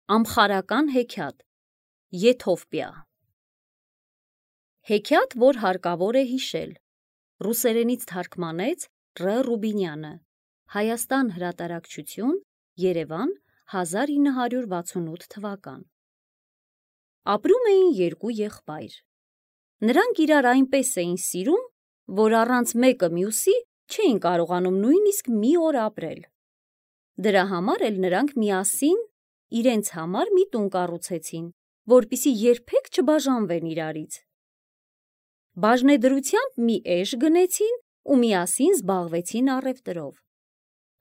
Ամխարական հեքիաթ, Եթովպիա։ Հեքիաթ, որ հարկավոր է հիշել։ Ռուսերենից թարգմանեց Ռ. Ռուբինյանը։ Հայաստան հրատարակչություն, Երևան, 1968 թվական։ Ապրում էին երկու եղբայր։ Նրանք իրար այնպես էին սիրում, որ առանց մեկը մյուսի չէին կարողանում նույնիսկ մի օր ապրել։ Դրա համար էլ նրանք միասին իրենց համար մի տուն կառուցեցին, որպեսզի երբեք չբաժանվեն իրարից։ Բաժնեդրությամբ մի էշ գնեցին ու միասին զբաղվեցին առևտրով։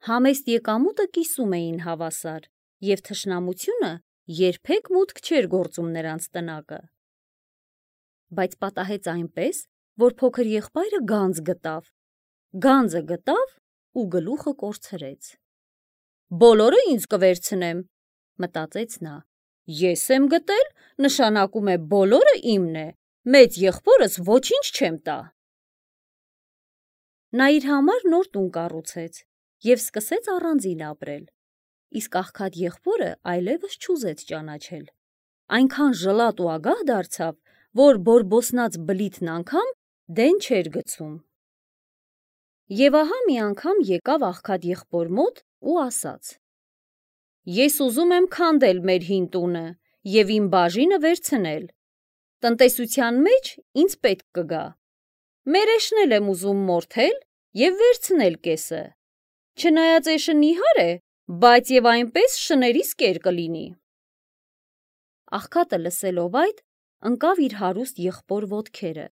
Համեստ եկամուտը կիսում էին հավասար, և թշնամությունը երբեք մուտք չէր գործում նրանց տնակը։ Բայց պատահեց այնպես, որ փոքր եղբայրը գանձ գտավ։ Գանձը գտավ ու գլուխը կորցրեց։ «Բոլորը ինձ կվերցնեմ», մտածեց նա։ «Ես եմ գտել, նշանակում է բոլորը իմն է, մեծ եղբորս ոչինչ չեմ տա»։ Նա իր համար նոր տուն կառուցեց և սկսեց առանձին ապրել, իսկ աղքատ եղբորը այլևս չուզեց ճանաչել։ Այնքան ժլատ ու ագահ դարձավ, որ բորբոսնած բլիթն անգամ դեն չէր գցում։ Եվ ահա մի անգամ եկավ աղքատ եղբոր մոտ ու ասաց. «Ես ուզում եմ քանդել մեր հին տունը և իմ բաժինը վերցնել։ Տնտեսության մեջ ինձ պետք կգա։ Մեր էշն էլ եմ ուզում մորթել և վերցնել կեսը։ Չնայած էշը նիհար է, բայց և այնպես շներիս կեր կլինի»։ Աղքատը լսելով այդ, ընկավ իր հարուստ եղբոր ոտքերը։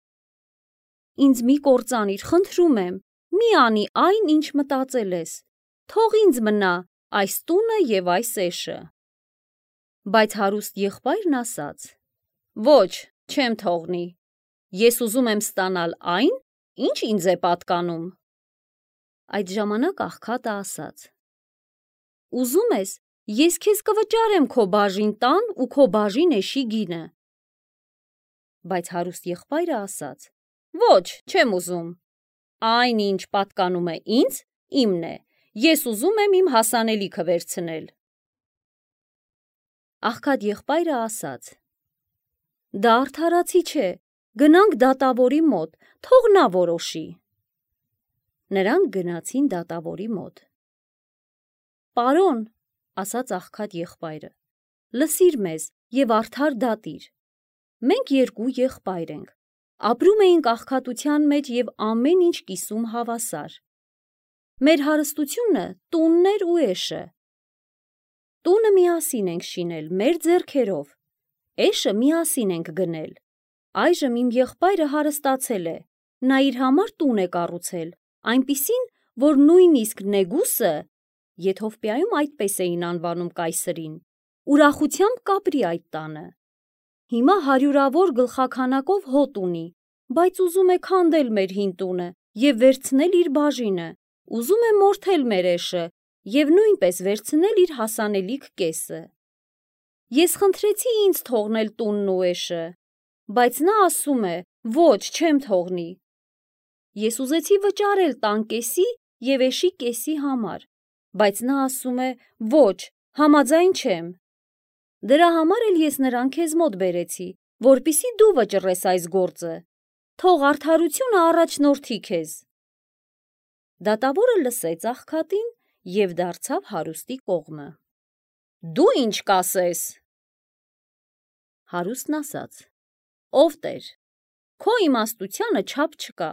«Ինձ մի կործանիր, խնդրում եմ, մի անի այն, ինչ մտածել ես, թող ինձ մնա այս տունը և այս էշը»։ Բայց հարուստ եղբայրն ասաց. «Ոչ, չեմ թողնի, ես ուզում եմ ստանալ այն, ինչ ինձ է պատկանում»։ Այդ ժամանակ աղքատը ասաց. «Ուզում ես, ես քեզ կվճարեմ քո բաժին տան ու քո բաժին էշի գինը»։ Բայց հարուստ եղբայրը ասաց. «Ոչ, չեմ ուզում, այն, ինչ պատկանում է ինձ, իմն է, ես ուզում եմ իմ հասանելիքը վերցնել»։ Աղքատ եղբայրը ասաց. «Դա արդարացի չէ, գնանք դատավորի մոտ, թող նա որոշի»։ Նրանք գնացին դատավորի մոտ։ «Պարոն», ասաց աղքատ եղբայրը, «լսիր մեզ և արդար դատիր։ Մենք երկու եղբայր ենք, ապրում էինք աղքատության մեջ և ամեն ինչ կիսում հավասար։ Մեր հարստությունը տունն էր ու էշը։ Տունը միասին ենք շինել մեր ձեռքերով, էշը միասին ենք գնել։ Այժմ իմ եղբայրը հարստացել է, նա իր համար տուն է կառուցել, այնպիսին, որ նույնիսկ Նեգուսը (Եթովպիայում այդպես էին անվանում կայսրին) ուրախությամբ կապրի այդ տանը։ Հիմա հարյուրավոր գլխաքանակով հոտ ունի, բայց ուզում է քանդել մեր հին տունը և վերցնել իր բաժինը, ուզում է մորթել մեր էշը և նույնպես վերցնել իր հասանելիք կեսը։ Ես խնդրեցի ինձ թողնել տունն ու էշը, բայց նա ասում է. ոչ, չեմ թողնի։ Ես ուզեցի վճարել տան կեսի և էշի կեսի համար, բայց նա ասում է. ոչ, համաձայն չեմ։ Դրա համար էլ ես նրան քեզ մոտ բերեցի, որպեսզի դու վճռես այս գործը, թող արդարությունը առաջնորդի քեզ։ Դատավորը լսեց աղքատին և դարձավ հարուստի կողմը։ «Դու ինչ կասես»։ Հարուստն ասաց. «Ով Տեր, քո իմաստությանը չափ չկա։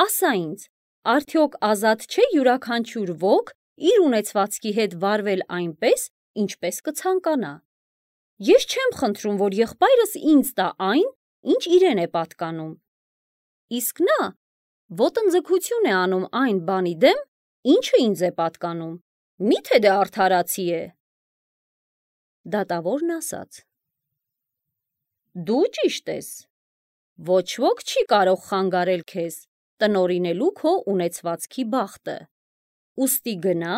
Ասա ինձ, արդյոք ազատ չէ յուրաքանչյուր ոք իր ունեցվածքի հետ վարվել այնպես, ինչպես կցանկանա։ Ես չեմ խնդրում, որ եղբայրս ինձ տա այն, ինչ իրեն է պատկանում, իսկ նա ոտնձգություն է անում այն բանի դեմ, ինչը ինձ է պատկանում, մի՞թե դա արդարացի է»։ Դատավորն ասաց. «Դու ճիշտ ես, ոչ ոք չի կարող խանգարել քեզ տնօրինելու քո ունեցվածքի բախտը, ուստի գնա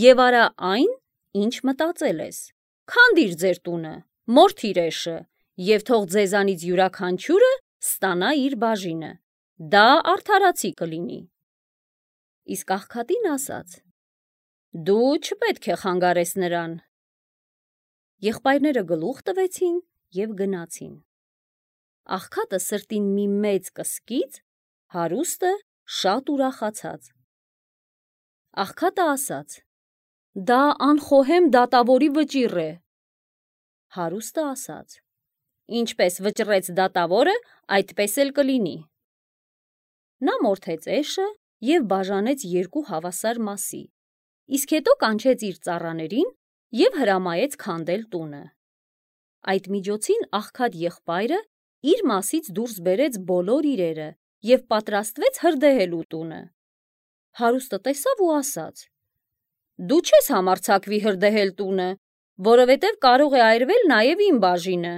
և արա այն, ինչ մտածել ես, քանդիր ձեր տունը, մորթիր էշը և թող ձեզանից յուրաքանչյուրը ստանա իր բաժինը, դա արդարացի կլինի»։ Իսկ աղքատին ասաց. «Դու չպետք է խանգարես նրան։ Եղբայրները գլուխ տվեցին և գնացին։ Աղքատը սրտին մի մեծ կսկից, հարուստը շատ ուրախացած։ Աղքատը ասաց. «Դա անխոհեմ դատավորի վճիռ է»։ Հարուստը ասաց. «Ինչպես վճռեց դատավորը, այդպես էլ կլինի»։ Նա մորթեց էշը և բաժանեց երկու հավասար մասի, իսկ հետո կանչեց իր ծառաներին և հրամայեց քանդել տունը։ Այդ միջոցին աղքատ եղբայրը իր մասից դուրս բերեց բոլոր իրերը և պատրաստվեց հրդեհելու տունը։ Հարուստը տեսավ ու ասաց. «Դու չես համարձակվի հրդեհել տունը, որովհետև կարող է այրվել նաև իմ բաժինը։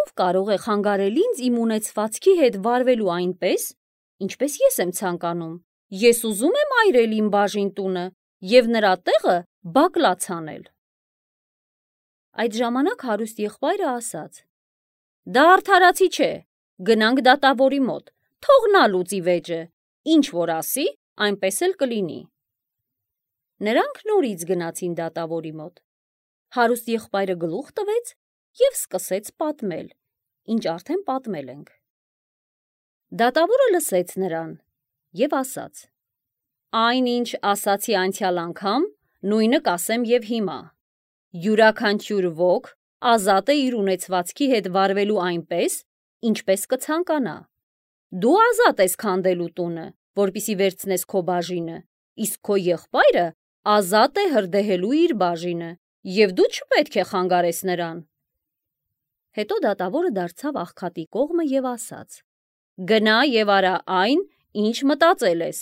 Ով կարող է խանգարել ինձ իմ ունեցվածքի հետ վարվելու այնպես, ինչպես ես եմ ցանկանում։ Ես ուզում եմ այրել իմ բաժին տունը և նրա տեղը բակլաց անել»։ Այդ ժամանակ հարուստ եղբայրը ասաց. «Դա արդարացի չէ, գնանք դատավորի մոտ, թող նա լուծի վեճը, ինչ որ ասի, այնպես էլ կլինի»։ Նրանք նորից գնացին դատավորի մոտ։ Հարուստ եղբայրը գլուխ տվեց և սկսեց պատմել, ինչ արդեն պատմել ենք։ Դատավորը լսեց նրան և ասաց. «Այն, ինչ ասացի անցյալ անգամ, նույնը կասեմ և հիմա։ Յուրաքանչյուր ոք ազատ է իր ունեցվածքի հետ վարվելու այնպես, ինչպես կցանկանա։ Դու ազատ ես քանդելու տունը, որպեսզի վերցնես քո բաժինը, իսկ քո եղբայրը ազատ է հրդեհելու իր բաժինը, և դու չպետք է խանգարես նրան»։ Հետո դատավորը դարձավ աղքատի կողմը և ասաց. «Գնա և արա այն, ինչ մտածել ես»։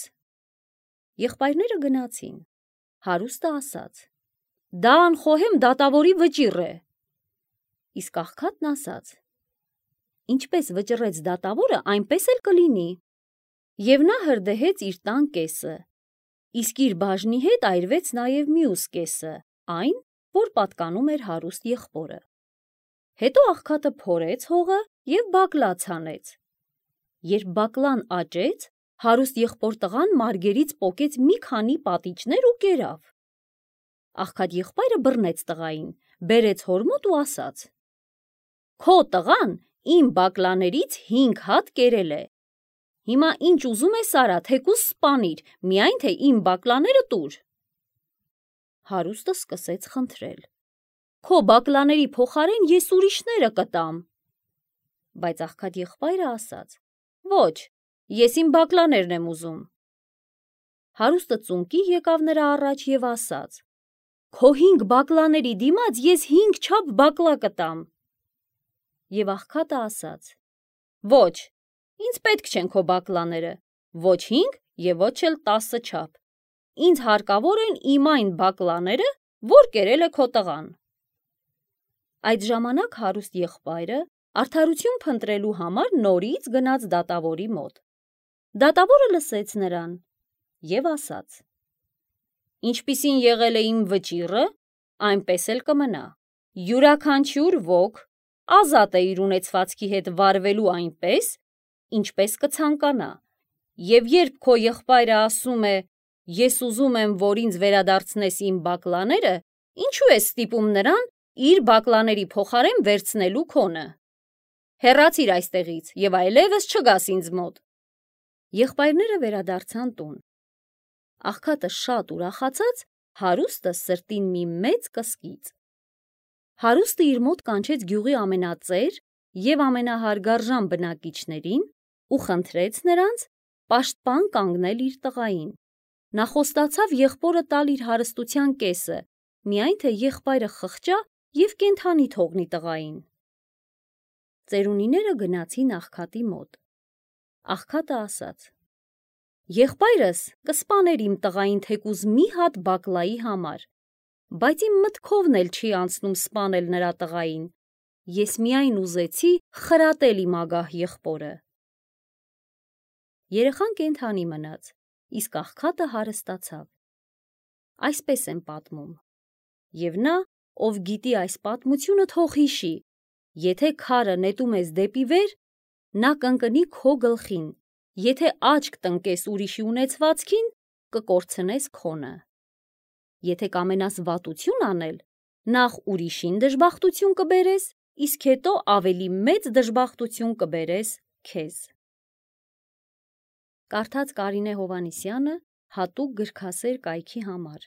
Եղբայրները գնացին։ Հարուստը ասաց. «Դա անխոհեմ դատավորի վճիռ է»։ Իսկ աղքատն ասաց. «Ինչպես վճռեց դատավորը, այնպես էլ կլինի»։ Եվ նա հրդեհեց իր տան կեսը, իսկ իր բաժնի հետ այրվեց նաև մյուս կեսը, այն, որ պատկանում էր հարուստ եղբորը։ Հետո աղքատը փորեց հողը և բակլաց հանեց։ Երբ բակլան աճեց, հարուստ եղբոր տղան մարգերից պոկեց մի քանի պատիճներ ու կերավ։ Աղքատ եղբայրը բռնեց տղային, բերեց հոր մոտ ու ասաց. «Քո տղան իմ բակլաներից 5 հատ կերել է։ Հիմա ինչ ուզում ես արա, թեկուզ սպանիր, միայն թե իմ բակլաները տուր»։ Հարուստը սկսեց խնդրել. «Քո բակլաների փոխարեն ես ուրիշները կտամ»։ Բայց աղքատ եղբայրը ասաց. «Ոչ, ես իմ բակլաներն եմ ուզում»։ Հարուստը ծունկի եկավ նրա առաջ և ասաց. «Քո 5 բակլաների դիմաց ես 5 չափ բակլա կտամ»։ Եվ աղքատը ասաց. «Ոչ, ինձ պետք չեն քո բակլաները, ոչ 5 և ոչ էլ 10 չափ։ Ինձ հարկավոր են իմ այն բակլաները, որ կերել է քո տղան»։ Այդ ժամանակ հարուստ եղբայրը արդարություն փնտրելու համար նորից գնաց դատավորի մոտ։ Դատավորը լսեց նրան և ասաց. «Ինչպիսին եղել է իմ վճիռը, այնպես էլ կմնա։ Յուրաքանչյուր ոք ազատ է իր ունեցվածքի հետ վարվելու այնպես, ինչպես կցանկանա, և երբ քո եղբայրը ասում է. «Ես ուզում եմ, որ ինձ վերադարձնես իմ բակլաները», ինչու ես ստիպում նրան իր բակլաների փոխարեն վերցնելու քոնը։ Հեռացիր այստեղից և այլևս չգաս ինձ մոտ»։ Եղբայրները վերադարձան տուն։ Աղքատը շատ ուրախացած, հարուստը սրտին մի մեծ կսկից։ Հարուստը իր մոտ կանչեց գյուղի ամենածեր և ամենահարգարժան բնակիչներին ու խնդրեց նրանց պաշտպան կանգնել իր տղային։ Նա խոստացավ եղբորը տալ իր հարստության կեսը, միայն թե եղբայրը խղճա և կենդանի թողնի տղային։ Ծերունիները գնացին աղքատի մոտ։ Աղքատը ասաց. «Եղբայրս կսպաներ իմ տղային թեկուզ մի հատ բակլայի համար, բայց իմ մտքովն էլ չի անցնում սպանել նրա տղային։ Ես միայն ուզեցի խրատել իմ ագահ եղբորը»։ Երեխան կենդանի մնաց, իսկ աղքատը հարստացավ։ Այսպես են պատմում։ Եվ նա, ով գիտի այս պատմությունը, թող հիշի. եթե քարը նետում ես դեպի վեր, նա կընկնի քո գլխին, եթե աչք տնկես ուրիշի ունեցվածքին, կկորցնես քոնը։ Եթե կամենաս վատություն անել, նախ ուրիշին դժբախտություն կբերես, իսկ հետո ավելի մեծ դժբախտություն կբերես քեզ։ Կարդաց Կարինե Հովհաննիսյանը հատուկ գրքասեր կայքի համար։